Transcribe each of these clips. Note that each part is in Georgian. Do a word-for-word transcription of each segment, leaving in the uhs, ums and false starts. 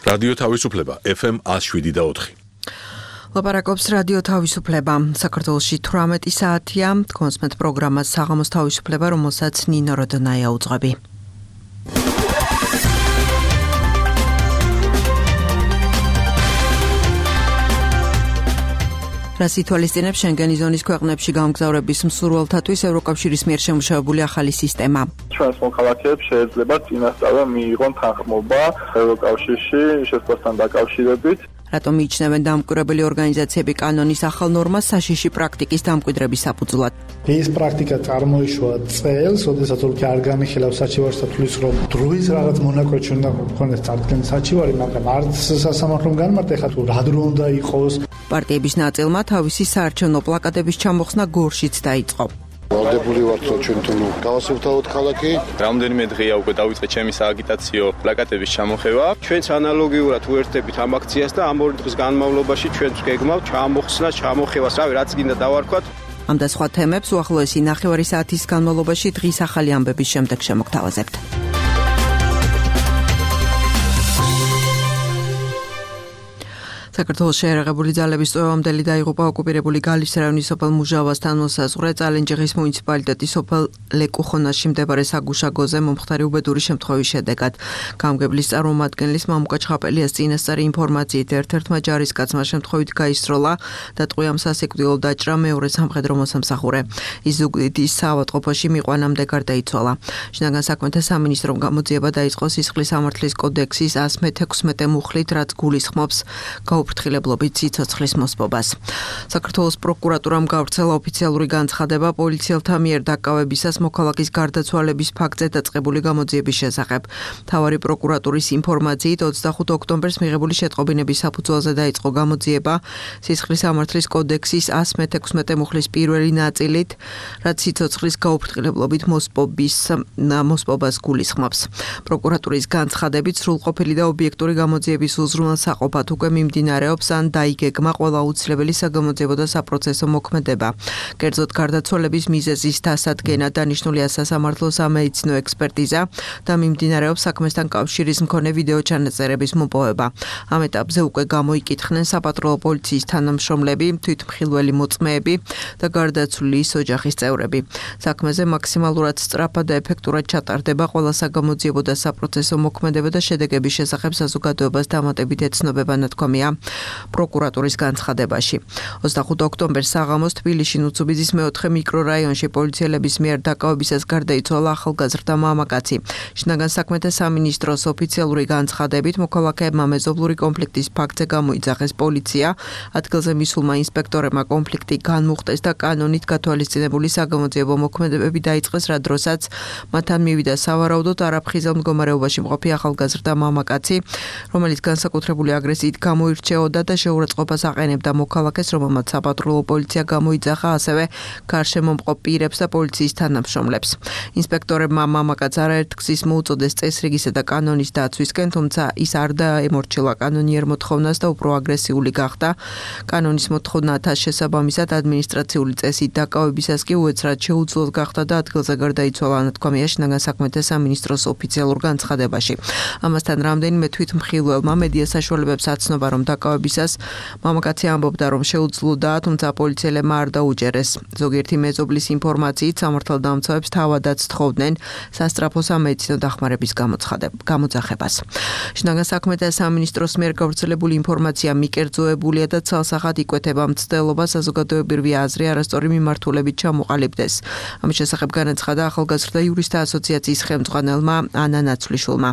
რადიო თავისუფლება ეფ ემ one oh seven და four. ლაპარაკობს რადიო თავისუფლება. საქართველოში თვრამეტი საათია. კონსმეთ პროგრამას საღამოს თავისუფლება, რომელსაც ნინო როდონაია უძღვები. რას ითვალისწინებს შენგენის ზონის ქვეყნებში გამგზავრების მსურველთათვის ევროკავშირის მიერ შემუშავებული ახალი სისტემა. ჩვენს მოქალაქეებს შეიძლება წინასწარ მიიღონ თანხმობა ევროკავშირში შესვლასთან დაკავშირებით. რატომ მიიჩნევენ დამკვირვებელი ორგანიზაციები კანონის ახალ ნორმას საშიში პრაქტიკის დამკვიდრების საფუძვლად? ეს პრაქტიკა წარმოიშვა წელს, როდესაც თურქია არ განიხილავს საჩივარს და თulis რომ დროის რაღაც მონაკვეთში უნდა გქონდეს წარდგენის საჩივარი, მაგრამ არც სასამართლომ განმარტა ხა თუ რა დრო უნდა იყოს. პარტიების ნაწილმა თავისი საარჩევნო პლაკატების ჩამოხსნა გორშიც დაიწყო. ვალდებული ვართ რომ ჩვენ თუ გავასუფთავოთ ქალაქი. რამდენიმე დღეა უკვე დავიწყე ჩემი სააგიტაციო პლაკატების ჩამოხევა. ჩვენც ანალოგიურად უერთდებით ამ აქციას და ამ ორი დღის განმავლობაში ჩვენც გეგმავთ ჩამოხსნა, ჩამოხევას, რავი, რაც გინდა დავარქვათ. ამ და სხვა თემებს უახლოესი ნახევარი საათის განმავლობაში დღის ახალი ამბების შემდეგ შემოგთავაზებთ. საქართველოს შეერაღებული ძალების წვევამდელი დაიღუპა ოკუპირებული გალის რაიონის სოფელ მუჟავასთან მოსაზღვრე წალენჯიხის მუნიციპალიტეტის სოფელ ლეკუხონაში მდებარე საგუშაგოზე მომხდარი უბედური შემთხვევის შედეგად. გამგებლის წარმომადგენლის მამუკა ჩხაპელიას წინასწარი ინფორმაციით ერთ-ერთმა ჯარისკაცმა შემთხვევით გაისროლა და ტყვიამ სასიკვდილო დაჭრა მეორე სამხედრო მოსამსახურე. ის ზუგდიდის საავადმყოფოში მიყვანამდე გარდაიცვალა. შინაგან საქმეთა სამინისტრომ გამოძიება დაიწყო სისხლის სამართლის კოდექსის one sixty-six მუხლით, რაც გულისხმობს გაუფრთხილებლობით სიცოცხლის მოსპობას. საქართველოს პროკურატურამ გავრცელა ოფიციალური განცხადება პოლიციელთა მიერ დაკავებისას მოქალაქის გარდაცვალების ფაქტზე დაწყებული გამოძიების შესახებ. მთავარი პროკურატურის ინფორმაციით ოცდახუთ ოქტომბერს მიღებული შეტყობინების საფუძველზე დაიწყო გამოძიება სისხლის სამართლის კოდექსის one sixty-six მუხლის პირველი ნაწილით, რაც სიცოცხლის გაუფრთხილებლობით მოსპობის მოსპობას გულისხმობს. პროკურატურის განცხადებით სრულყოფილი და ობიექტური გამოძიების უზრუნველსაყოფად უკვე მიმდინარეობს ან დაიგეგმა ყველა აუცილებელი საგამოძიებო და საპროცესო მოქმედება. კერძოდ გარდაცვალების მიზეზის დასადგენა, დანიშნულია სასამართლო სამედიცინო ექსპერტიზა და მიმდინარეობს საქმესთან კავშირის მქონე ვიდეო ჩანაწერების მოპოვება. ამ ეტაპზე უკვე გამოიკითხნენ საპატრულო პოლიციის თანამშრომლები, თვითმხილველი მოწმეები და გარდაცვლილის ოჯახის წევრები. საქმეზე მაქსიმალურად სწრაფად და ეფექტურად ჩატარდება ყველა საგამოძიებო და საპროცესო მოქმედება და შედეგების შესახებ საზოგადოებას დამატებით ეცნობება ნათქვამია პროკურატურის განცხადებაში. ოცდახუთ ოქტომბერს საღამოს თბილისში ნუცუბიძის მეოთხე მიკრორაიონში პოლიციელების მიერ დაკავებისას გარდაიცვალა ახალგაზრდა მამაკაცი. შინაგან საქმეთა სამინისტროს ოფიციალური განცხადებით მოქალაქეებმა მეზობლური კონფლიქტის ფაქტზე გამოიძახეს პოლიცია, ადგილზე მისულმა ინსპექტორებმა კონფლიქტი განმუხტეს და კანონით გათვალისწინებული საგამოძიებო მოქმედებები დაიწყეს, რა დროსაც მათთან მივიდა სავარაუდოდ არაფხიზელ მდგომარეობაში მყოფი ახალგაზრდა მამაკაცი, რომელიც განსაკუთრებული აგრესიით გამოირჩეოდა და შეურაცხყოფას აყენებდა მოქალაქეს, რომელმაც საპატრულო პოლიცია გამოიძახა, ასევე გარშემომყოფ პირებს და პოლიციის თანამშრომლებს. ინსპექტორებმა მამაკაცს არაერთ გზის მოუწოდეს წესრიგისა და კანონის დაცვისკენ, თუმცა ის არ დაემორჩილა კანონიერ მოთხოვნას და უფრო აგრესიული გახდა. კანონის მოთხოვნათა შესაბამისად ადმინისტრაციული წესით დაკავებისას კი უეცრად შეუძლოდ გახდა და ადგილზე გარდაიცვალა, ნათქვამია შინაგან საქმეთა სამინისტროს ოფიციალურ განცხადებაში. ამასთან რამდენიმე თვითმხილველმა მედია საშუალებებს აცნობა, რომ დაკავებისას მამაკაცი ამბობდა, რომ შეუძლოდა, თუმცა პოლიციელებმა არ დაუჯერეს. ზოგიერთი მეზობლის ინფორმაციით სამართალდამცავებს თავადაც თხოვდნენ სასწრაფო სამედიცინო დახმარების გამოძახებას. შინაგან საქმეთა სამინისტროს მიერ გავრცელებული ინფორმაცია მიკერძოებულია და ცალსახად იკვეთება მცდელობა საზოგადოებრივი აზრი არასწორი მიმართულებით ჩამოყალიბდეს. ამის შესახებ განაცხადა ახალგაზრდა იურისტთა ასოციაციის ხელმძღვანელმა ანა ნაცვლიშვილმა.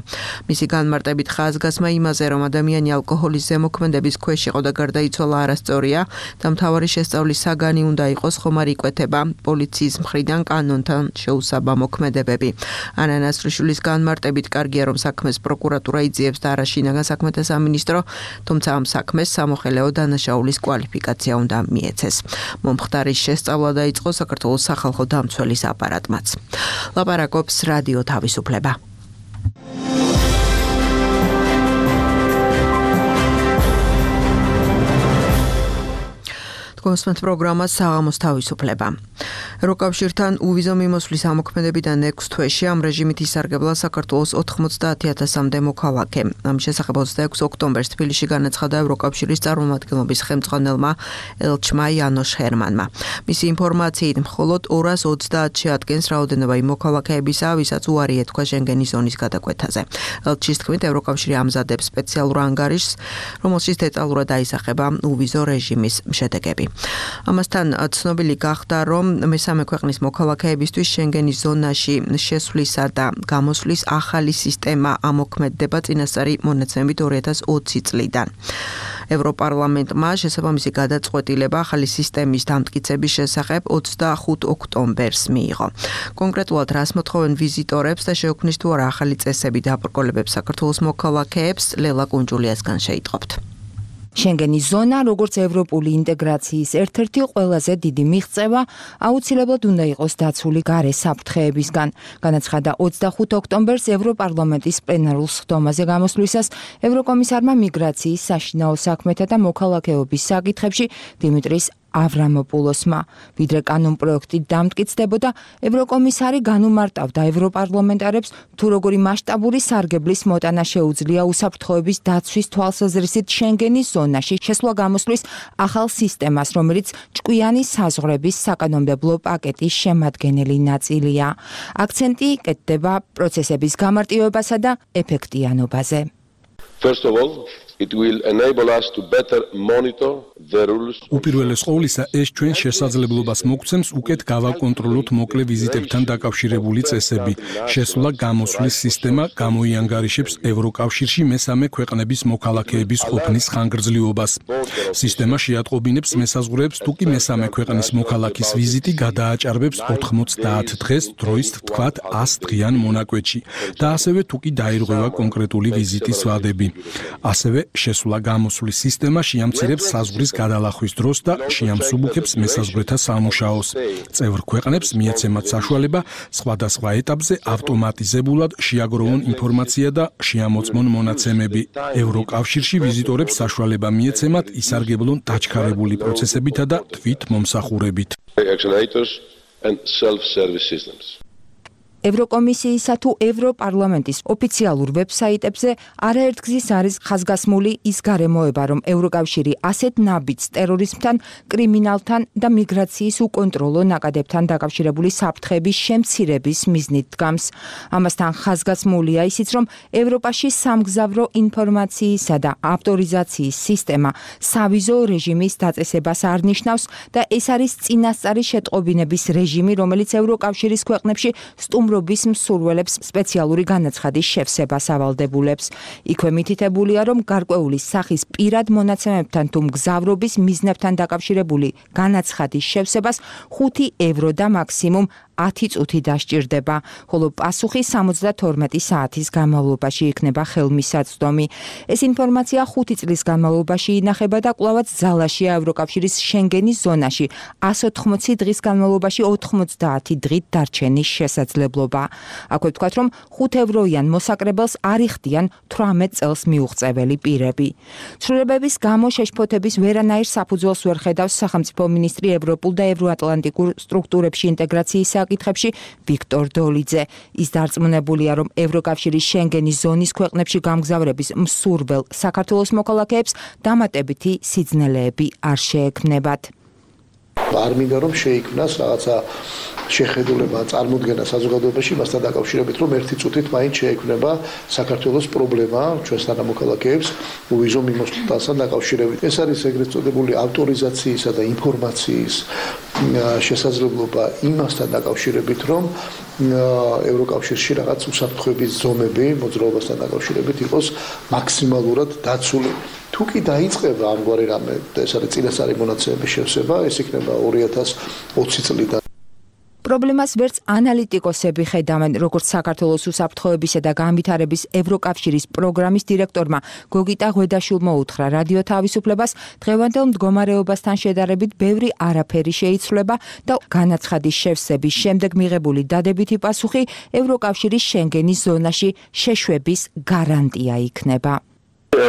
მისი განმარტებით ხაზგასმა იმაზე, რომ ადამიანი ალკოჰოლის ზემოქმედების ქვეშ იყო და გარდაიცვალა არასწორია და მთავარი შესწავლის საგანი უნდა იყოს, ხომ არ იკვეთება პოლიციის მხრიდან კანონთან შეუსაბა მოქმედებები. ანა ნაცვლიშვილის განმარტებით კარგია, რომ საქმეს პროკურატურა იძიებს და არა შინაგან საქმეთა სამინისტრო, თუმცა ამ საქმეს სამოხელეო დანაშაულის კვალიფიკაცია უნდა მიეცეს. მომხდარის შესწავლა დაიწყო საქართველოს სახალხო დამცველის აპარატმაც. ლაპარაკობს რადიო თავისუფლება. გოსმენთ პროგრამა საღამოს თავისუფლება. ევროკავშირთან უვიზო მიმოსვლის ამოქმედებიდან ექვს თვეში ამ რეჟიმით ისარგებლა საქართველოს ოთხმოცდაათი ათასამდე მოქალაქე. ამ შესახებ ოცდაექვსი ოქტომბერს თბილისში განაცხადა ევროკავშირის წარმომადგენლობის ხელმძღვანელმა ელჩმა იანოშ ჰერმანმა. მისი ინფორმაციით მხოლოდ ორას ოცდაათში ადგენს რაოდენობა იმ მოქალაქეებისა, ვისაც უარი ეთქვა შენგენის ზონის გადაკვეთაზე. ელჩის თქმით, ევროკავშირი ამზადებს სპეციალურ ანგარიშს, რომელშიც დეტალურად აისახება უვიზო რეჟიმის შედეგები. ამასთან ცნობილი გახდა, რომ მესამე ქვეყნის მოქალაქეებისთვის შენგენის ზონაში შესვლისა და გამოსვლის ახალი სისტემა ამოქმედდება წინასწარი მონაცემებით ორი ათას ოცი წლიდან. ევროპარლამენტმა შესაბამისი გადაწყვეტილება ახალი სისტემის დამტკიცების შესახებ ოცდახუთ ოქტომბერს მიიღო. კონკრეტულად რას მოთხოვენ ვიზიტორებს და შეუქმნის თუ არა ახალი წესები დაბრკოლებებს საქართველოს მოქალაქეებს, ლელა კუნჯულიასგან შეიტყობთ. შენგენის ზონა, როგორც ევროპული ინტეგრაციის ერთ-ერთი ყველაზე დიდი მიღწევა, აუცილებლად უნდა იყოს დაცული გარე საფრთხეებისგან. განაცხადა ოცდახუთ ოქტომბერს ევროპარლამენტის პლენარულ სხდომაზე გამოსვლისას ევროკომისარმა მიგრაციის, საშინაო საქმეთა და მოქალაქეობის საკითხებში დიმიტრის ავრამოპულოსმა. ვიდრე კანონპროექტი დამტკიცდებოდა, ევროკომისარი განუმარტავდა ევროპარლამენტარებს, თუ როგორი მასშტაბური სარგებლის მოტანა შეუძლია უსაფრთხოების დაცვის თვალსაზრისით შენგენის ზონაში შესვლა-გამოსვლის ახალ სისტემას, რომელიც ჭკვიანი საზღვრების საკანონმდებლო პაკეტის შემადგენელი ნაწილია. აქცენტი კეთდება პროცესების გამარტივებასა და ეფექტიანობაზე. First of all, it will enable us to better monitor the rules. უპირველეს ყოვლისა, ეს ჩვენ შესაძლებლობას მოგცემს უკეთ გავაკონტროლოთ მოკლე ვიზიტებთან დაკავშირებული წესები. შესვლა-გამოსვლის სისტემა გამოიანგარიშებს ევროკავშირში მესამე ქვეყნების მოქალაქეების ყოფნის ხანგრძლივობას. სისტემა შეატყობინებს მესაზღვრეებს, თუ კი მესამე ქვეყნის მოქალაქის ვიზიტი გადააჭარბებს ოთხმოცდაათ დღეს, დროის თქვათ ას დღიან მონაკვეთში და ასევე თუ კი დაირღვევა კონკრეტული ვიზიტის ვადები. ასევე შესვლა-გამოსვლის სისტემა შეამცირებს საზღვრის გადალახვის დროს და შეამსუბუქებს მესაზღვრეთა სამუშაოს. წევრ ქვეყნებს მიეცემათ საშუალება სხვადასხვა ეტაპზე ავტომატიზებულად შეაგროვონ ინფორმაცია და შეამოწმონ მონაცემები. ევროკავშირში ვიზიტორებს საშუალება მიეცემათ ისარგებლონ დაჩქარებული პროცესებითა და თვითმომსახურებით. ევროკომისიისა თუ ევროპარლამენტის ოფიციალურ ვებსაიტებზე არაერთგზის არის ხაზგასმული ის გარემოება, რომ ევროკავშირი ასეთ ნაბიჯს ტერორიზმთან, კრიმინალთან და მიგრაციის უკონტროლო ნაკადებთან დაკავშირებული საფრთხების შემცირების მიზნით დგამს. ამასთან ხაზგასმულია ისიც, რომ ევროპაში სამგზავრო ინფორმაციისა და ავტორიზაციის სისტემა სავიზო რეჟიმის დაწესებას არ ნიშნავს და ეს არის წინასწარი შეტყობინების რეჟიმი, რომელიც ევროკავშირის ქვეყნებში სტუმრ ობის მსურველებს სპეციალური განაცხადის შევსებას ავალდებულებს. იქვე მითითებულია, რომ გარკვეული სახის პირად მონაცემებთან თუ მგზავრობის მიზნებთან დაკავშირებული განაცხადის შევსებას ხუთი ევრო და მაქსიმუმ ათი წუთი დასჭირდება, ხოლო პასუხი სამოცდათორმეტი საათის განმავლობაში იქნება ხელმისაწვდომი. ეს ინფორმაცია ხუთი წლის განმავლობაში ინახება და კვლავაც ძალაშია ევროკავშირის შენგენის ზონაში ას ოთხმოცი დღის განმავლობაში ოთხმოცდაათი დღით დარჩენის შესაძლებლობა. აქვე ვთქვათ, რომ ხუთ ევროიან მოსაკრებელს არ იხდიან თვრამეტ წელს მიუღწეველი პირები. ცვლილებების გამო შეშფოთების ვერანაირ საფუძველს ვერ ხედავს სახელმწიფო მინისტრი ევროპულ და ევროატლანტიკურ სტრუქტურებში ინტეგრაციის საკითხებში ვიქტორ დოლიძე. ის დარწმუნებულია, რომ ევროკავშირის შენგენის ზონის ქვეყნებში გამგზავრების მსურველ საქართველოს მოქალაქეებს დამატებითი სიძნელეები არ შეექმნებათ. არ მინდა რომ შეიქმნას რაღაცა შეხედულება წარმოქმნა საზოგადოებაში მასთან დაკავშირებით, რომ ერთი წუთით მაინც შეექმნება საქართველოს პრობლემა ჩვენსთან მოქალაქეებს უვიზო მიმოსვლასთან დაკავშირებით. ეს არის ეგრეთ წოდებული ავტორიზაციისა და ინფორმაციის შესაძლებლობა იმასთან დაკავშირებით, რომ ევროკავშირში რაღაც უსაფრთხოების ზომები მოძრაობასთან დაკავშირებით იყოს მაქსიმალურად დაცული. თუ კი დაიწყება ამგვარი რამე, ეს არის წინასწარი მონაცემების შევსება, ეს იქნება ორი ათას ოცი წლიდან. პრობლემას ვერც ანალიტიკოსები ხედავენ, როგორც საქართველოს უსაფრთხოებისა და განვითარების ევროკავშირის პროგრამის დირექტორმა გოგიტა ღვედაშვილმა უთხრა რადიო თავისუფლებას, დღევანდელ მდგომარეობასთან შედარებით ბევრი არაფერი შეიცვლება და განაცხადის შევსების შემდეგ მიღებული დადებითი პასუხი ევროკავშირის შენგენის ზონაში შეშვების გარანტია იქნება.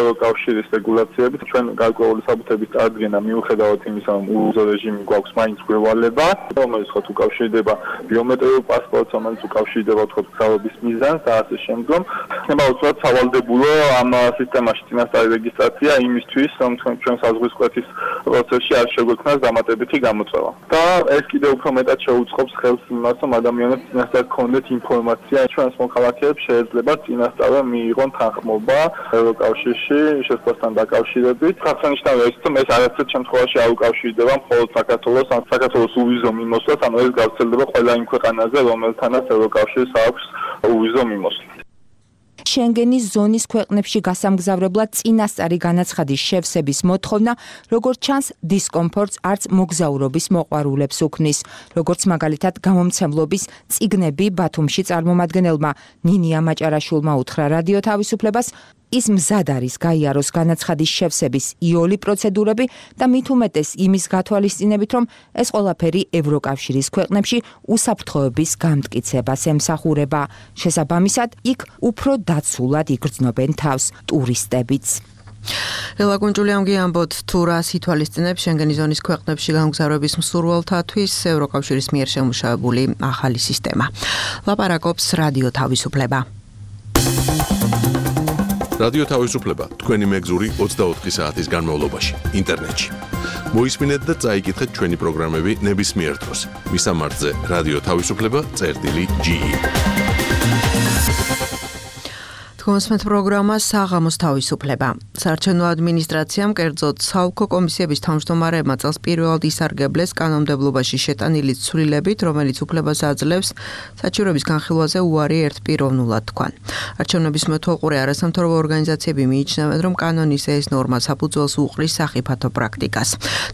ევროკავშირის რეგულაციებით ჩვენ გარკვეული საბუთების წარდგენა მიუხედავად იმისა, რომ უვიზო რეჟიმი გვაქვს მაინც გვევალება, რომელიც ხო უკავშირდება ბიომეტრიულ პასპორტს, რომელიც უკავშირდება თქო გზაობის მიზანს და ასე შემდგომ. ხდება უცბად სავალდებულო ამ სისტემაში წინასწარი რეგისტრაცია იმისთვის, რომ ჩვენ საზღვისკვეთის პროცესში არ შეგვექმნას დამატებითი გამოწვევა. და ეს კიდევ უფრო მეტად შეუწყობს ხელს იმას, რომ ადამიანებს წინასწარ გქონდეთ ინფორმაცია, ჩვენს მოქალაქეებს შეიძლება წინასწარ მიიღონ თანხმობა ევროკავშირში შესვლასთან დაკავშირებით. აღსანიშნავია ის, რომ ეს არაცეთ შემთხვევაში არ უკავშირდება მხოლოდ საქართველოს, ან საქართველოს უვიზო მიმოსვლას, ანუ ეს გავრცელდება ყველა იმ ქვეყანაზე, რომელთანაც ევროკავშირს აქვს უვიზო მიმოსვლა. შენგენის ზონის ქვეყნებში გასამგზავრებლად წინასწარი განაცხადის შევსების მოთხოვნა, როგორც ჩანს, დისკომფორტს არც მოგზაურობის მოყვარულებს უქმნის. როგორც მაგალითად გამომცემლობის წიგნები ბათუმში წარმომადგენელმა ნინია მაჭარაშვილმა უთხრა რადიო თავისუფლებას, ის მზად არის გაიაროს განაცხადის შევსების იოლი პროცედურები და მით უმეტეს იმის გათვალისწინებით, რომ ეს ყველაფერი ევროკავშირის ქვეყნებში უსაფრთხოების გამტკიცებას ემსახურება. შესაბამისად, იქ უფრო დაცულად იგრძნობენ თავს ტურისტებიც. ელა გუნჯულიამგი ამბობთ, თუ რას ითვალისწინებს შენგენის ზონის ქვეყნებში გამგზავრების მსურველთათვის ევროკავშირის მიერ შემუშავებული ახალი სისტემა. ლაპარაკობს რადიო თავისუფლება. რადიო თავისუფლება თქვენი მეგზური ოცდაოთხი საათის განმავლობაში ინტერნეტში. მოისმინეთ და წაიკითხეთ ჩვენი პროგრამები ნებისმიერ დროს. მისამართზე რადიო თავისუფლება წერტილი ჯი ი. თქვენსმეთ პროგრამა საღამოს თავისუფლება. საარჩევნო ადმინისტრაციამ კერძოდ საოლქო კომისიების თავმჯდომარეებმა წელს პირველად ისარგებლეს კანონმდებლობაში შეტანილი ცვლილებით, რომელიც უფლებას აძლევს საჩივრების განხილვაზე უარი ერთპიროვნულად თქვან. არჩევნების მეთვალყურე არასამთავრობო ორგანიზაციები მიიჩნევენ, რომ კანონის ეს ნორმა საფუძველს უყრის სახიფათო პრაქტიკას.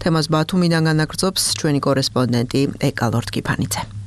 თემას ბათუმიდან განაგრძობს ჩვენი კორესპონდენტი ეკა ლორთქიფანიძე.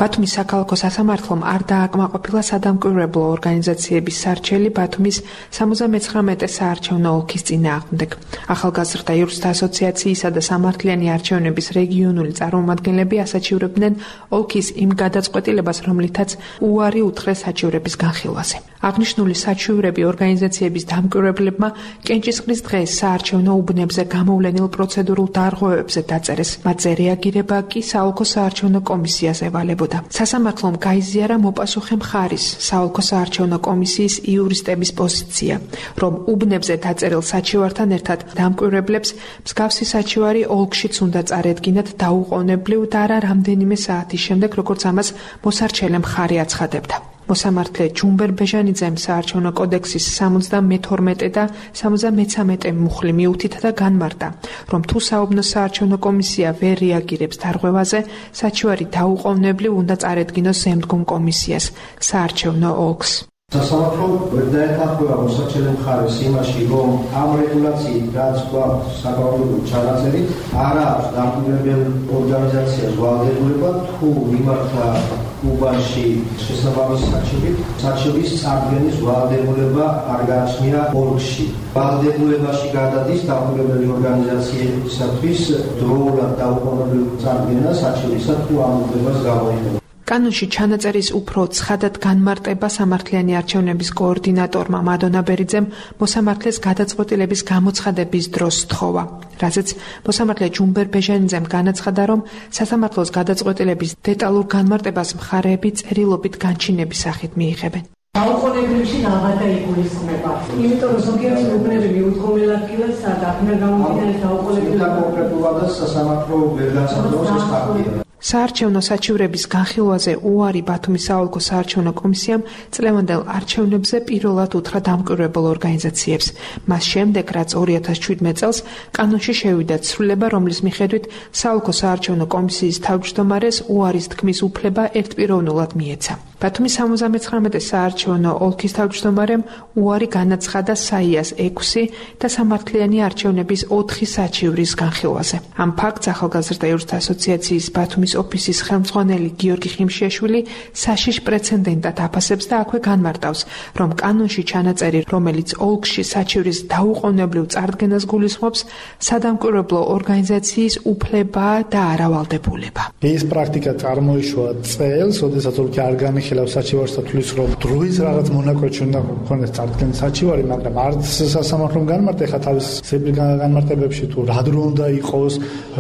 ბათუმის საქალაქო სასამართლომ არ დააკმაყოფილა სადამკვირვებლო ორგანიზაციების სარჩელი ბათუმის სამოცდამეცხრამეტე საარჩევნო ოლქის წინააღმდეგ. ახალგაზრდა იურისტთა ასოციაციისა და სამართლიანი არჩევნების რეგიონული წარმომადგენლები ასაჩივრებდნენ ოლქის იმ გადაწყვეტილებას, რომლითაც უარი უთხრეს საჩივრების განხილვაზე. აღნიშნული საჩივრები ორგანიზაციების დამკვირვებლებმა კენჭისყრის დღეს საარჩევნო უბნებზე გამოვლენილ პროცედურულ დარღვევებზე დაწერეს. მათზე რეაგირება კი საოლქო საარჩევნო კომისიას ევალებოდა. სასამართლომ გაიზიარა მოპასუხე მხარის საოლქო საარჩევნო კომისიის იურისტების პოზიცია, რომ უბნებზე დაწერილ საჩივართან ერთად დამკვირვებლებს მსგავსი საჩივარი ოლქშიც უნდა წარედგინათ დაუყოვნებლივ და არა რამდენიმე საათის შემდეგ, როგორც ამას მოსარჩელე მხარე აცხადებდა. მოსამართლე ჯუმბერ ბეჟანიძემ საარჩევნო კოდექსის სამოცდამეთორმეტე და სამოცდამეცამეტე მუხლი მიუთითა და განმარტა, რომ თუ საუბნო საარჩევნო კომისია ვერ რეაგირებს დარღვევაზე, საჩივარი დაუყოვნებლივ უნდა წარედგინოს ზემდგომ კომისიას, საარჩევნო ოლქს. სასამართლო ვერ დაეთანხმება მოსარჩელე მხარეს იმაში, რომ ამ რეგულაციით, რაც გვაქვს საკანონმდებლო ჩანაწერი, არ აქვს დამკვირვებელ ორგანიზაციას ვალდებულება თუ იმართა უბანში შესაბამისი საჩივით, საჩივის წარდგენის ვალდებულება არ გააჩნია ოლქში. ვალდებულებაში გადადის დამკვირვებელი ორგანიზაციებისათვის დროულად დაუყოვნებლივ წარდგენა საჩივისა თუ ამ უფლებას გამოიყენება. კანონში ჩანაწერის უფრო ცხადად განმარტება სამართლიანი არჩევნების კოორდინატორმა მადონა ბერიძემ მოსამართლეს გადაწყვეტილების გამოცხადების დროს სთხოვა, რაზეც მოსამართლე ჯუმბერ ბეჟანიძემ განაცხადა, რომ სასამართლოს გადაწყვეტილების დეტალურ განმარტებას მხარეები წერილობით განჩინების სახით მიიღებენ. დაუყოვნებლივში აღარ დაიგულისხმება. იმიტომ რომ ზოგიერთი უბნები მიუდგომელად კილას საერთოდ გამომდინარე დაუყოვნებლივ კონკრეტულად სასამართლო ვერ განსაზღვრავს ეს ფაქტია. საარჩევნო საჩივრების განხილვაზე უარი ბათუმის საოლქო საარჩევნო კომისიამ წლევანდელ არჩევნებზე პირველად უთხრა დამკვირვებელ ორგანიზაციებს. მას შემდეგ, რაც ორი ათას შვიდმეტ წელს კანონში შევიდა ცვლილება, რომლის მიხედვით საოლქო საარჩევნო კომისიის თავმჯდომარეს უარის თქმის უფლება ერთპიროვნულად მიეცა. ბათუმის სამოცდამეცხრამეტე საარჩევნო ოლქის თავმჯდომარემ უარი განაცხადა საიას ექვსი და სამართლიანი არჩევნების ოთხი საჩივრის განხილვაზე. ამ ფაქტს ახალგაზრდა იურისტთა ასოციაციის ბათუმის ოფისის ხელმძღვანელი გიორგი ხიმშიაშვილი საშიშ პრეცედენტად აფასებს და აქვე განმარტავს, რომ კანონში ჩანაწერი, რომელიც ოლქში საჩივრის დაუყოვნებლივ წარდგენას გულისხმობს, სადამკვირვებლო ორგანიზაციის უფლება და არა ვალდებულება. ეს პრაქტიკა წარმოიშვა წელს, როდესაც ოლქი არ განიხილავდა ხელავს საჩივარს და თulis რომ დროის რაღაც მონაკვეთი უნდა გქონდეს წარდგენის საჩივარი, მაგრამ არც სასამართლომ განმარტა ხა თავის ზებრი განმარტებებში თუ რა დრო უნდა იყოს,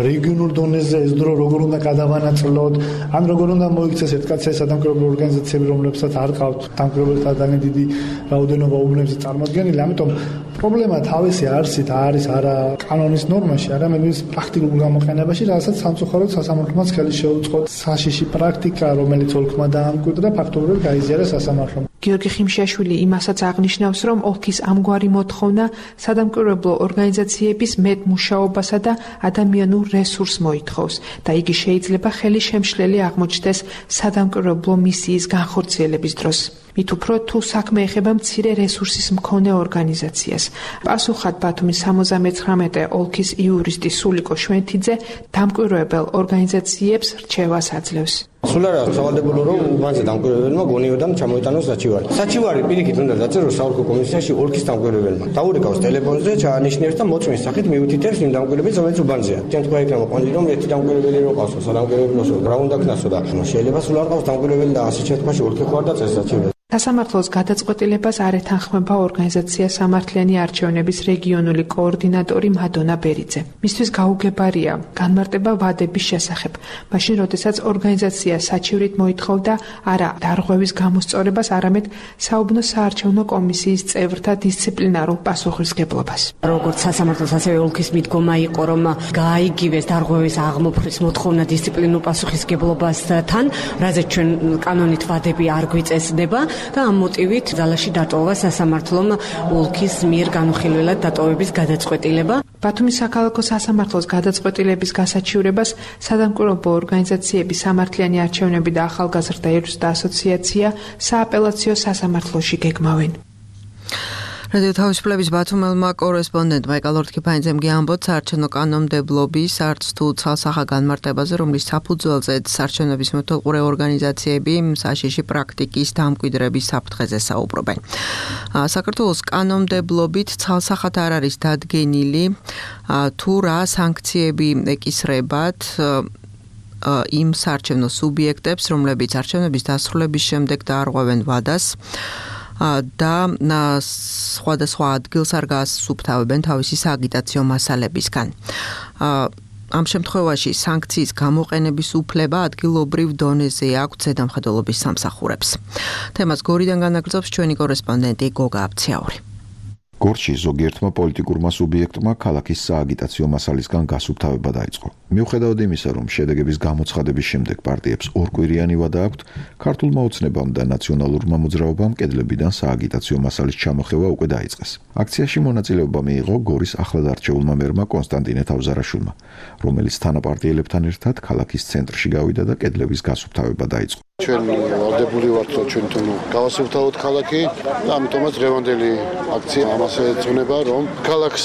რეგიონულ დონეზე ეს დრო როგორ უნდა გადავანაწილოთ, ან როგორ უნდა მოიქცეს ერთ კაცის სადამკვირვებლო ორგანიზაციები, რომლებსაც არ ყავთ დამკვირვებელთა ძალიან დიდი რაოდენობა უბნებზე წარმოდგენილი, ამიტომ პრობლემა თავისი არსით არის არა კანონის ნორმაში, არამედ მის პრაქტიკულ გამოყენებაში, რასაც სამწუხაროდ სასამართლოც ხელი შეუწყო. საშიში პრაქტიკა, რომელიც ოლქმა დაამკვიდრა, ფაქტობრივად გაიზიარა სასამართლომ. გიორგი ხიმშიაშვილი იმასაც აღნიშნავს, რომ ოლქის ამგვარი მოთხოვნა სადამკვირვებლო ორგანიზაციების მეტ მუშაობასა და ადამიანურ რესურსს მოითხოვს და იგი შეიძლება ხელი შემშლელი აღმოჩნდეს სადამკვირვებლო მისიის განხორციელების დროს. მით უფრო თუ საქმე ეხება მცირე რესურსის მქონე ორგანიზაციას. პასუხად ბათუმის სამოცდამეცხრამეტე ოლქის იურისტი სულიკო შვენთიძე დამკვირვებელ ორგანიზაციებს რჩევას აძლევს. სულ არა სავალდებულო რომ უბანზე დამკვირვებელმა გონიოდან ჩამოიტანოს საჩივარი. საჩივარი პირიქით უნდა დაწეროს საოლქო კომისიაში ოლქის დამკვირვებელმა. დაურეკავს ტელეფონზე, ჩაანიშნებს და მოწმის სახით მიუთითებს იმ დამკვირვებელს, რომელიც უბანზეა. ჩვენ თქვა იქნება ყვანილი რომ ერთი დამკვირვებელი რო ყავსო, სადამკვირვებელოსო, რა უნდა ქნასო და შეიძლება სულ არ ყავს დამკვირვებელი და ასე შემთხვევაში ოლქი ხوار და წეს საჩივარი. სასამართლოს გადაწყვეტილებას არ ეთანხმება ორგანიზაცია სამართლიანი არჩევნების რეგიონული კოორდინატორი მადონა ბერიძე. მისთვის გაუგებარია განმარტება ვადების შესახებ, მაშინ როდესაც ორგანიზაცია საჩივრით მოითხოვდა არა დარღვევის გამოსწორებას, არამედ საუბნო საარჩევნო კომისიის წევრთა დისციპლინარულ პასუხისმგებლობას. როგორც სასამართლოს ასევე ოლქის მიდგომა იყო, რომ გააიგივეს დარღვევის აღმოფხრის მოთხოვნა დისციპლინურ პასუხისმგებლობასთან, რაზეც ჩვენ კანონით ვადები არ გვიწესდება. და ამ მოტივით ძალაში დატოვა სასამართლომ ოლქის მიერ განუხილველად დატოვების გადაწყვეტილება. ბათუმის საქალაქო სასამართლოს გადაწყვეტილების გასაჩივრებას სადამკვირვებლო ორგანიზაციების სამართლიანი არჩევნები და ახალგაზრდა იურისტთა ასოციაცია სააპელაციო სასამართლოში გეგმავენ. რადიო თავისუფლების ბათუმელმა კორესპონდენტმა ეკალორთქიფანიძემ გიამბოთ საარჩევნო კანონმდებლობის არც თუ ცალსახა განმარტებაზე, რომლის საფუძველზე საარჩევნების მეთვალყურე ორგანიზაციები საშიში პრაქტიკის დამკვიდრების საფრთხეზე საუბრობენ. საქართველოს კანონმდებლობით ცალსახად არ არის დადგენილი თუ რა სანქციები ეკისრებათ იმ საარჩევნო სუბიექტებს, რომლებიც არჩევნების დასრულების შემდეგ დაარღვევენ ვადას და სხვადასხვა ადგილს არ გაასუფთავებენ თავისი სააგიტაციო მასალებისგან. ამ შემთხვევაში სანქციის გამოყენების უფლება ადგილობრივ დონეზე აქვს ზედამხედველობის სამსახურებს. თემას გორიდან განაგრძობს ჩვენი კორესპონდენტი გოგა აბციაური. გორში ზოგიერთმა პოლიტიკურმა სუბიექტმა ქალაქის სააგიტაციო მასალისგან გასუფთავება დაიწყო. მიუხედავად იმისა, რომ შედეგების გამოცხადების შემდეგ პარტიებს ორკვირიანი ვადა აქვთ, ქართულმა ოცნებამ და ნაციონალურმა მოძრაობამ კედლებიდან სააგიტაციო მასალის ჩამოხევა უკვე დაიწყეს. აქციაში მონაწილეობა მიიღო გორის ახლადარჩეულმა მერმა კონსტანტინე თავზარაშვილმა, რომელიც თანაპარტიელებთან ერთად ქალაქის ცენტრში გავიდა და კედლების გასუფთავება დაიწყო. ჩვენ ვალდებული ვართ, რომ ჩვენ თუნ გავასუფთავოთ ქალაქი და ამიტომაც დღევანდელი აქცია ამას ეძღვნება, რომ ქალაქს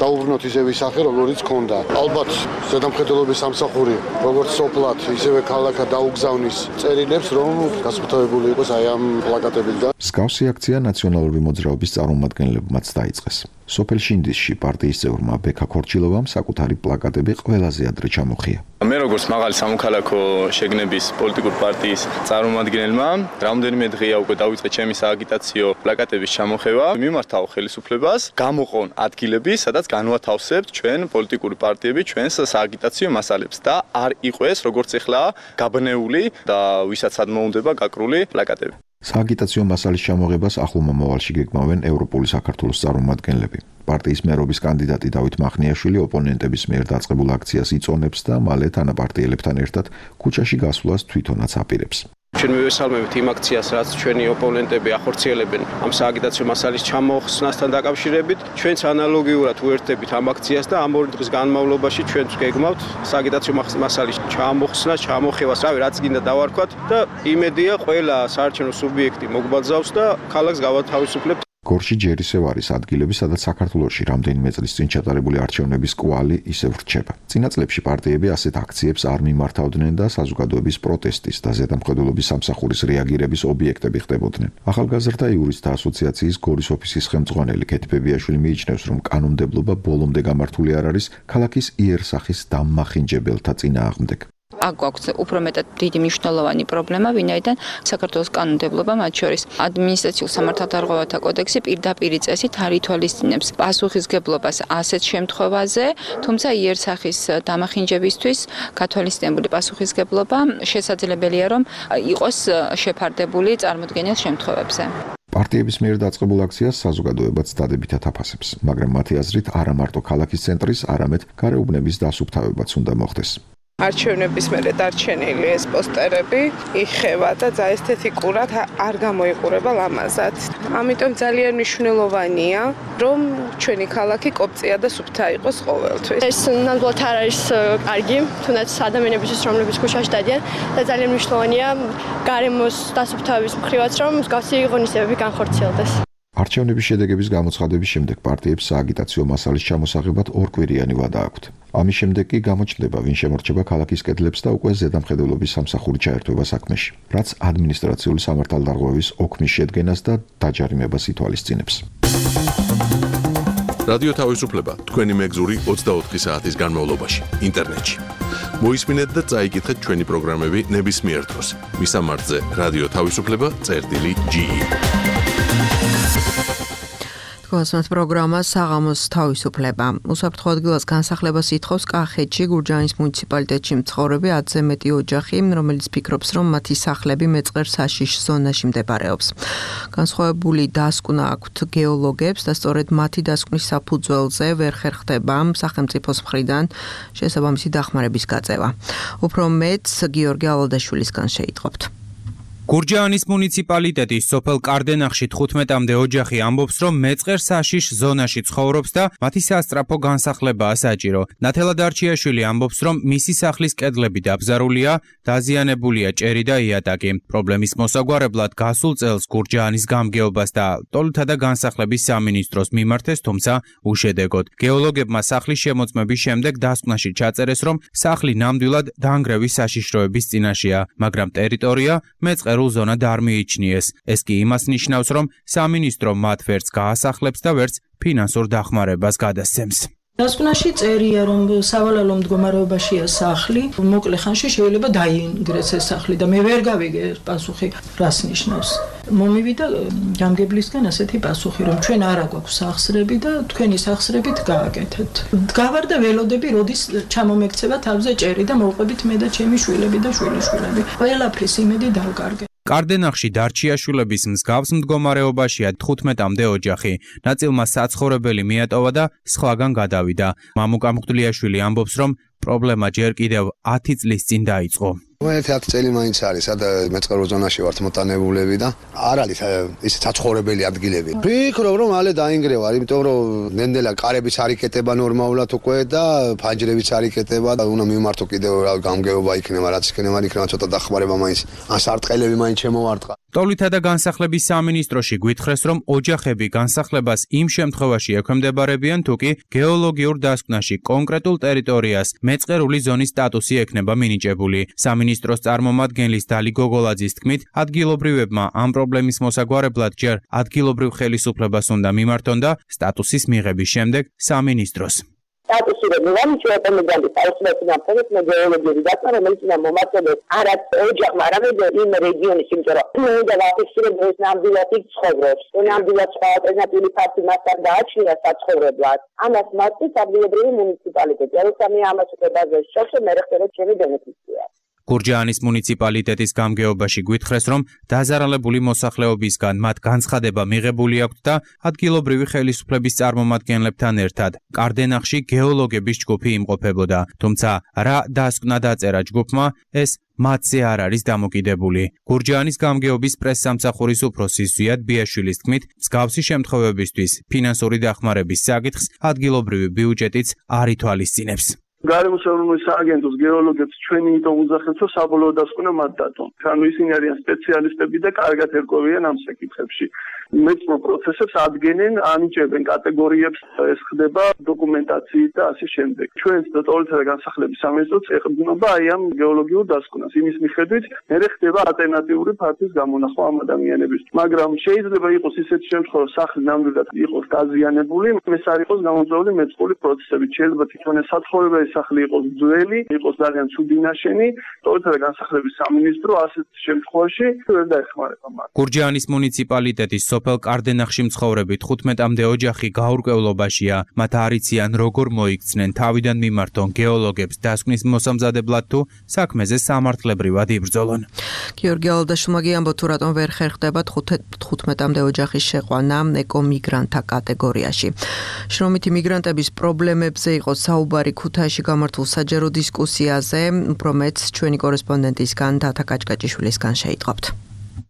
დაუბრუნოთ ისე ვისახე, როგორიც ჰქონდა. ალბათ ზედამხედველობის სამსახური, როგორც სოფლად, ისევე ქალაქად დაუგზავნის წერილებს, რომ გასუფთავებული იყოს აი ამ პლაკატებით და მსგავსი აქცია ნაციონალური მოძრაობის წარმომადგენლებმაც დაიწყეს. სოფელ შინდისში პარტიის წევრმა ბექა ქორჩილოვამ საკუთარი პლაკატები ყველაზე ადრე ჩამოხია. მე როგორც მაღალი სამოქალაქო შეგნების პოლიტიკურ პარტიის წარმომადგენელმა, რამდენიმე დღეა უკვე დავიწყე ჩემი სააგიტაციო პლაკატების ჩამოხევა. მიმართავ ხელისუფლებას, გამოყონ ადგილები, სადაც განვათავსებთ ჩვენ პოლიტიკური პარტიები ჩვენს სააგიტაციო მასალებს და არ იყოს როგორც ეხლა გაბნეული და ვისაც ადმოუნდება გაკრული პლაკატები. სააგიტაციო მასალის ჩამოღებას ახლო მომავალში გეგმავენ ევროპული საქართველოს წარმომადგენლები. პარტიის მერობის კანდიდატი დავით მახნიაშვილი ოპონენტების მიერ დაწყებულ აქციას იწონებს და მალე თანაპარტიელებთან ერთად ქუჩაში გასვლას თვითონაც აპირებს. ჩვენ მივესალმებით იმ აქციას, რაც ჩვენი ოპონენტები ახორციელებენ ამ სააგიტაციო მასალის ჩამოხსნასთან დაკავშირებით. ჩვენც ანალოგიურად უერთდებით ამ აქციას და ამ ორი დღის განმავლობაში ჩვენც გეგმავთ სააგიტაციო მასალის ჩამოხსნას, ჩამოხევას, რავი, რაც გინდა დავარქვათ და იმედია ყველა საარჩევნო სუბიექტი მოგვბაძავს და ქალაქს გავათავისუფლებთ. გორში ჯერისევ არის ადგილები, სადაც საქართველოში რამდენიმე წლის წინ ჩატარებული არჩევნების კვალი ისევ რჩება. წინა წლებში პარტიები ასეთ აქციებს არ მიმართავდნენ და საზოგადოების პროტესტის და ზედამხედველობის სამსახურის რეაგირების ობიექტები ხდებოდნენ. ახალგაზრდა იურისტთა ასოციაციის გორის ოფისის ხელმძღვანელი ქეთი ბებიაშვილი მიიჩნევს, რომ კანონმდებლობა ბოლომდე გამართული არ არის ქალაქის იერსახის დამმახინჯებელთა წინააღმდეგ. აქ გვაქვს უფრო მეტად დიდი მნიშვნელოვანი პრობლემა, ვინაიდან საქართველოს კანონმდებლობა, მათ შორის ადმინისტრაციულ სამართალდარღვევათა კოდექსი პირდაპირ წესით არ ითვალისწინებს პასუხისგებლობას ასეთ შემთხვევაზე, თუმცა იერსახის დამახინჯებისთვის გათვალისწინებული პასუხისგებლობა შესაძლებელია, რომ იყოს შეფარდებული წარმოდგენილ შემთხვევებზე. პარტიების მიერ დაწყებულ აქციას საზოგადოებაც დადებითად აფასებს, მაგრამ მათი აზრით არა მარტო ქალაქის ცენტრის, არამედ გარეუბნების დასუფთავებაც უნდა მოხდეს. არჩევნების მერე დარჩენილი ეს პოსტერები იხევა და ესთეტიკურად არ გამოიყურება ლამაზად. ამიტომ ძალიან მნიშვნელოვანია, რომ ჩვენი ქალაქი კოპწია და სუფთა იყოს ყოველთვის. ეს ნამდვილად არ არის კარგი, თუნდაც ადამიანებისთვის, რომლებიც ქუჩაში დადიან და ძალიან მნიშვნელოვანია გარემოს დასუფთავების მხრივაც, რომ მსგავსი ღონისძიებები განხორციელდეს. არჩევნების შედეგების გამოცხადების შემდეგ პარტიებს სააგიტაციო მასალის ჩამოსაღებად ორკვირიანი ვადა აქვთ. ამის შემდეგ კი გამოჩნდება, ვინ შემორჩება ქალაქის კედლებს და უკვე ზედამხედველობის სამსახური ჩაერთვება საქმეში, რაც ადმინისტრაციული სამართალდარღვევის ოქმის შედგენას და დაჯარიმებას ითვალისწინებს. რადიო თავისუფლება თქვენი მეგზური ოცდაოთხი საათის განმავლობაში ინტერნეტში. მოისმინეთ და წაიკითხეთ ჩვენი პროგრამები ნებისმიერ დროს. მისამართზე რადიო თავისუფლება წერტილი ჯი. გასმათ პროგრამა საღამოს თავისუფლება. უსაფრთხო ადგილას განსახლებას ითხოვს კახეთში გურჯაანის მუნიციპალიტეტში მცხოვრები ათზე მეტი ოჯახი, რომელიც ფიქრობს, რომ მათი სახლები მეწყერ საშიშ ზონაში მდებარეობს. განსხვავებული დასკვნა აქვთ გეოლოგებს და სწორედ მათი დასკვნის საფუძველზე ვერ ხერხდება სახელმწიფოს მხრიდან შესაბამისი დახმარების გაწევა. უფრო მეტს გიორგი ალოდაშვილისგან შეიტყობთ. გურჯაანის მუნიციპალიტეტის სოფელ კარდენახში თხუთმეტამდე ოჯახი ამბობს, რომ მეწყერ საშიშ ზონაში ცხოვრობს და მათი სასწრაფო განსახლებაა საჭირო. ნათელა დარჩიაშვილი ამბობს, რომ მისი სახლის კედლები დაბზარულია, დაზიანებულია ჭერი და იატაკი. პრობლემის მოსაგვარებლად გასულ წელს გურჯაანის გამგეობას და ტოლთა და განსახლების სამინისტროს მიმართეს, თუმცა უშედეგოდ. გეოლოგებმა სახლის შემოწმების შემდეგ დასკვნაში ჩაწერეს, რომ სახლი ნამდვილად დანგრევის საშიშროების წინაშეა, მაგრამ ტერიტორია მეწყერ ერულ ზონად არ მიიჩნიეს. ეს კი იმას ნიშნავს, რომ სამინისტრო მათ ვერც გაასახლებს და ვერც ფინანსურ დახმარებას გადასცემს. დასკვნაში წერია, რომ სავალალო მდგომარეობაშია სახლი, მოკლე ხანში შეიძლება დაინგრეს ეს სახლი და მე ვერ გავიგე პასუხი რას ნიშნავს. მომივიდა გამგებლისგან ასეთი პასუხი, რომ ჩვენ არა გვაქვს სახსრები და თქვენი სახსრებით გააკეთეთ. დგავარ და ველოდები, როდის ჩამომექცევა თავზე ჭერი და მოვყვებით მე და ჩემი შვილები და შვილიშვილები. ყველაფრის იმედი დავკარგე. კარდენახში დარჩიაშვილების მსგავს მდგომარეობაშია თხუთმეტამდე ოჯახი. ნაწილმა საცხოვრებელი მიატოვა და სხვაგან გადავიდა. მამუკა მღვდლიაშვილი ამბობს, რომ პრობლემა ჯერ კიდევ ათი წლის წინ დაიწყო. ერთი ათი წელი მაინც არის, სადა მეწყერო ზონაში ვართ მოტანებულები და არ არის ის საცხოვრებელი ადგილები. ვფიქრობ, რომ მალე დაინგრევა, იმიტომ რომ ნენდელა კარებიც არ იკეტება ნორმალურად უკვე და ფანჯრებიც არ იკეტება და უნდა მიმართო კიდევ რა გამგეობა იქნება, რაც იქნება, იქნება ცოტა დახმარება მაინც, ან სარტყელები მაინც შემოვარტყა. ტოლთა და განსახლების სამინისტროში გვითხრეს, რომ ოჯახები განსახლებას იმ შემთხვევაში ექვემდებარებიან, თუ კი გეოლოგიურ დასკვნაში კონკრეტულ ტერიტორიას მეწყერული ზონის სტატუსი ექნება მინიჭებული. სამინისტროს წარმომადგენლის დალი გოგოლაძის თქმით, ადგილობრივებმა ამ პრობლემის მოსაგვარებლად ჯერ ადგილობრივ ხელისუფლებას უნდა მიმართონ და სტატუსის მიღების შემდეგ სამინისტროს. სტატუსი რომ მოვამიჩნია კომენდანტის თავისუფლების ნაფთობის გეოლოგიური დასკვნა, რომელიც უნდა მომართებდეს არა ოჯახმა, არამედ იმ რეგიონის, იმიტომ რომ უნდა ვაფიქსირებდეს ეს ნამდვილად იქ ცხოვრობს. ნამდვილად სხვა ალტერნატიული ფაქტი მასთან დააჩნია საცხოვრებლად. ამას მასწავლის ადგილობრივი მუნიციპალიტეტი. როცა მე ამას უკვე ბაზაში შევშე, მე ხდება ჩემი ბენეფიცია. გურჯაანის მუნიციპალიტეტის გამგეობაში გვითხრეს, რომ დაზარალებული მოსახლეობისგან მათ განცხადება მიღებული აქვთ და ადგილობრივი ხელისუფლების წარმომადგენლებთან ერთად კარდენახში გეოლოგების ჯგუფი იმყოფებოდა. თუმცა რა დასკვნა დაწერა ჯგუფმა, ეს მათზე არ არის დამოკიდებული. გურჯაანის გამგეობის პრესსამსახურის უფროსი ზვიად ბიაშვილის თქმით, მსგავსი შემთხვევებისთვის ფინანსური დახმარების საკითხს ადგილობრივი ბიუჯეტიც არ ითვალისწინებს. გარემოსაუბრული სააგენტოს გეოლოგებს ჩვენი იმიტომ უძახებთ, რომ საბოლოო დასკვნა მათ დატომ. ანუ ისინი არიან სპეციალისტები და კარგად ერკვევიან ამ საკითხებში. მეწყრულ პროცესებს ადგენენ, ანიჭებენ კატეგორიებს, ეს ხდება დოკუმენტაციით და ასე შემდეგ. ჩვენს ტოლთა და განსახლების სამინისტროც ეყრდნობა აი ამ გეოლოგიურ დასკვნას. იმის მიხედვით მე ხდება ალტერნატიული ფართის გამონახვა ამ ადამიანებისთვის. მაგრამ შეიძლება იყოს ისეთი შემთხვევა, სახლი ნამდვილად იყოს დაზიანებული, ეს არ იყოს გამოწვეული მეწყრული პროცესებით. შეიძლება თვითონ ეს საცხოვრებელი სახლი იყოს ძველი, იყოს ძალიან ცუდი ნაშენი, ტოლთა და განსახლების სამინისტრო ასეთ შემთხვევაში ვერ დაეხმარება მათ. გურჯაანის მუნიციპალიტეტის სოფელ კარდენახში მცხოვრები თხუთმეტამდე ოჯახი გაურკვევლობაშია. მათ არ იციან როგორ მოიქცნენ, თავიდან მიმართონ გეოლოგებს დასკვნის მოსამზადებლად თუ საქმეზე სამართლებრივად იბრძოლონ. გიორგი ალდაშვილმა გიამბო თუ რატომ ვერ ხერხდება თხუთმეტამდე ოჯახის შეყვანა ეკომიგრანტთა კატეგორიაში. შრომითი მიგრანტების პრობლემებზე იყო საუბარი ქუთაისში გამართულ საჯარო დისკუსიაზე, უფრო მეც ჩვენი კორესპონდენტისგან დათა კაჭკაჭიშვილისგან შეიტყობთ.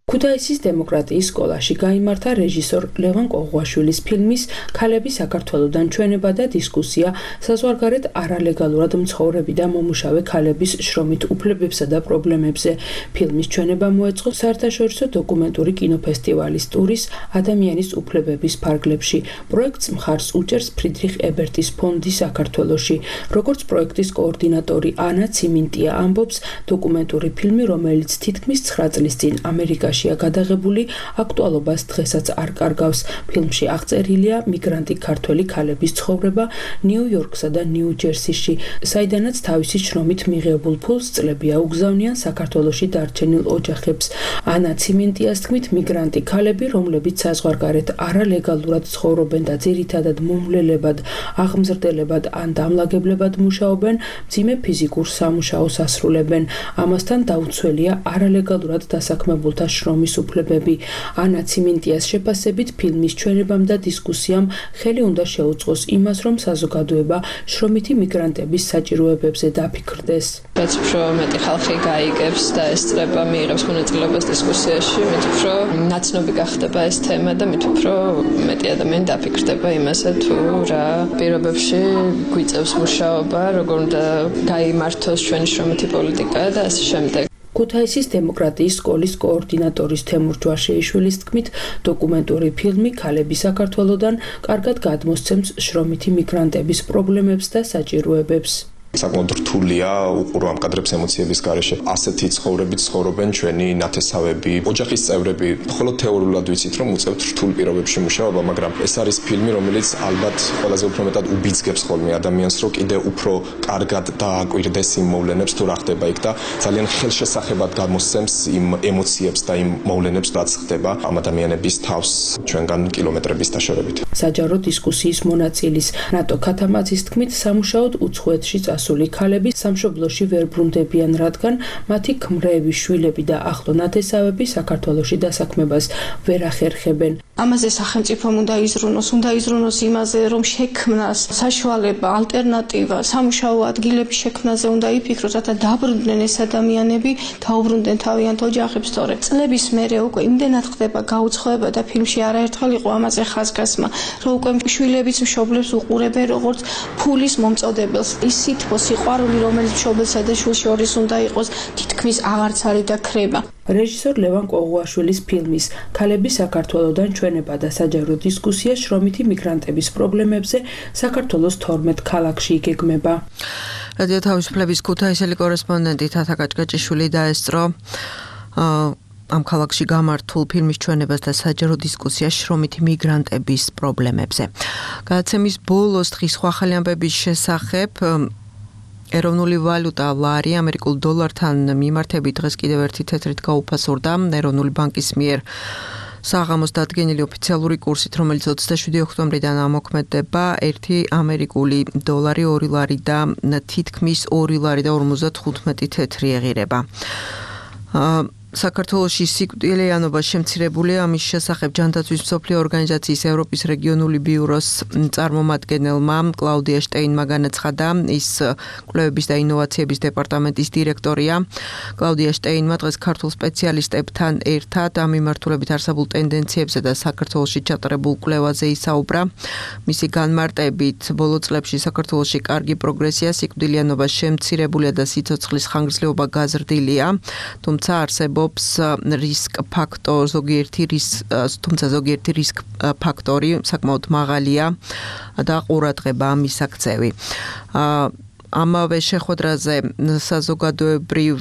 ქუთაისის დემოკრატიის სკოლაში გაიმართა რეჟისორ ლევან ყოღუაშვილის ფილმის ქალები საქართველოდან ჩვენება და დისკუსია საზღვარგარეთ არალეგალურად მცხოვრები და მომუშავე ქალების შრომით უფლებებსა და პრობლემებზე. ფილმის ჩვენება მოეწყო საერთაშორისო დოკუმენტური კინოფესტივალის ტურის ადამიანის უფლებების ფარგლებში. პროექტს მხარს უჭერს ფრიდრიხ ებერტის ფონდი საქართველოში. როგორც პროექტის კოორდინატორი ანა ციმინტია ამბობს, დოკუმენტური ფილმი, რომელიც თითქმის ცხრა წლის წინ ამერიკაში გადაღებული, აქტუალობას დღესაც არ კარგავს. ფილმში აღწერილია მიგრანტი ქართველი ქალების ცხოვრება ნიუ-იორკსა და ნიუ-ჯერსიში, საიდანაც თავისი შრომით მიღებულ ფულს წლები აუგზავნიან საქართველოში დარჩენილ ოჯახებს. ანა ციმინტიას თქმით, მიგრანტი ქალები, რომლებიც საზღვარგარეთ არალეგალურად ცხოვრობენ და ძირითადად მომვლელებად, აღმზრდებლებად ან დამლაგებლებად მუშაობენ, მძიმე ფიზიკურ სამუშაოს ასრულებენ. ამასთან დაუცველია არალეგალურად დასაქმებულთა შრომის უფლებები. ანა ციმინტიას შეფასებით, ფილმის ჩვენებამ და დისკუსიამ ხელი უნდა შეუწყოს იმას, რომ საზოგადოება შრომითი მიგრანტების საჭიროებებზე დაფიქრდეს. რაც უფრო მეტი ხალხი გაიგებს და ესწრება, მიიღებს მონაწილეობას დისკუსიაში, მით უფრო ნაცნობი გახდება ეს თემა და მით უფრო მეტი ადამიანი დაფიქრდება იმაზე, თუ რა პირობებში გვიწევს მუშაობა, როგორ უნდა გაიმართოს ჩვენი შრომითი პოლიტიკა და ასე შემდეგ. ქუთაისის დემოკრატიის სკოლის კოორდინატორის თემურ ჯვაშეიშვილის თქმით, დოკუმენტური ფილმი ქალები საქართველოდან კარგად გადმოსცემს შრომითი მიგრანტების პრობლემებს და საჭიროებებს. საკმაოდ რთულია უყურო ამ კადრებს ემოციების გარეშე. ასეთი ცხოვრებით ცხოვრობენ ჩვენი ნათესავები, ოჯახის წევრები. მხოლოდ თეორიულად ვიცით, რომ უწევთ რთულ პირობებში მუშაობა, მაგრამ ეს არის ფილმი, რომელიც ალბათ ყველაზე უფრო მეტად უბიძგებს ხოლმე ადამიანს, რომ კიდე უფრო კარგად დააკვირდეს იმ მოვლენებს, თუ რა ხდება იქ და ძალიან ხელშესახებად გამოსცემს იმ ემოციებს და იმ მოვლენებს, რაც ხდება ამ ადამიანების თავს ჩვენგან კილომეტრების დაშორებით. საჯარო დისკუსიის მონაწილის ნატო ქათამაძის თქმით, სამუშაოდ უცხოეთში ასული ქალები სამშობლოში ვერ ბრუნდებიან, რადგან მათი ქმრები, შვილები და ახლო ნათესავები საქართველოში დასაქმებას ვერ ახერხებენ. ამაზე სახელმწიფომ უნდა იზრუნოს, უნდა იზრუნოს იმაზე, რომ შექმნას საშუალება, ალტერნატივა, სამუშაო ადგილების შექმნაზე უნდა იფიქროს, რათა დაბრუნდნენ ეს ადამიანები, დაუბრუნდნენ თავიანთ ოჯახებს, თორე წლების მერე უკვე იმდენად ხდება გაუცხოება და ფილმში არაერთხელ იყო ამაზე ხაზგასმა, რომ უკვე შვილებიც მშობლებს უყურებენ როგორც ფულის მომწოდებელს. ის სითბო, სიყვარული, რომელიც მშობლსა და შვილს შორის უნდა იყოს, თითქმის აღარც არის და ქრება. რეჟისორ ლევან ყოღუაშვილის ფილმის ქალები საქართველოდან ჩვენება და საჯარო დისკუსია შრომითი მიგრანტების პრობლემებზე საქართველოს თორმეტ ქალაქში იგეგმება. რადიო თავისუფლების ქუთაისელი კორესპონდენტი თათა კაჭკაჭიშვილი დაესწრო ამ ქალაქში გამართულ ფილმის ჩვენებას და საჯარო დისკუსიას შრომითი მიგრანტების პრობლემებზე. გადაცემის ბოლოს დღის სხვა ახალი ამბების შესახებ ეროვნული ვალუტა ლარი ამერიკულ დოლართან მიმართებით დღეს კიდევ ერთი თეთრით გაუფასურდა. ეროვნული ბანკის მიერ საღამოს დადგენილი ოფიციალური კურსით, რომელიც ოცდაშვიდი ოქტომბრიდან ამოქმედება, ერთი ამერიკული დოლარი ორი ლარი და თითქმის ორი ლარი და ორმოცდათხუთმეტი თეთრი ეღირება. საქართველოში სიკვდილიანობა შემცირებულია. ამის შესახებ ჯანდაცვის მსოფლიო ორგანიზაციის ევროპის რეგიონული ბიუროს წარმომადგენელმა კლაუდია შტეინმა განაცხადა, ის კვლევების და ინოვაციების დეპარტამენტის დირექტორია. კლაუდია შტეინმა დღეს ქართულ სპეციალისტებთან ერთად ამ მიმართულებით არსებულ ტენდენციებზე და საქართველოში ჩატარებულ კვლევაზე ისაუბრა. მისი განმარტებით, ბოლო წლებში საქართველოში კარგი პროგრესია, სიკვდილიანობა შემცირებულია და სიცოცხლის ხანგრძლივობა გაზრდილია, თუმცა არსებობს ამბობს რისკ ფაქტორ ზოგიერთი რისკ თუმცა ზოგიერთი რისკ ფაქტორი საკმაოდ მაღალია და ყურადღება მისაქცევი. ამავე შეხვედრაზე საზოგადოებრივ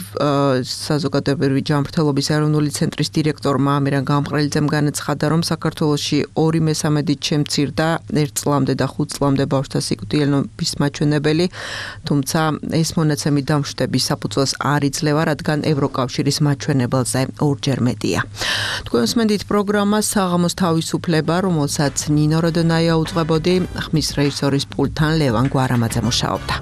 საზოგადოებრივი ჯანმრთელობის ეროვნული ცენტრის დირექტორმა ამირან გამყრელიძემ განაცხადა, რომ საქართველოში ორი მესამედით შემცირდა ერთ წლამდე და ხუთ წლამდე ბავშვთა სიკვდილიანობის მაჩვენებელი, თუმცა ეს მონაცემი დამშვიდების საფუძველს არ იძლევა, რადგან ევროკავშირის მაჩვენებელზე ორჯერ მეტია. თქვენ უსმენთ პროგრამას საღამოს თავისუფლება, რომელსაც ნინო როდონაია უძღვებოდი, ხმის რეჟისორის პულტთან ლევან გვარამაძე მუშაობდა.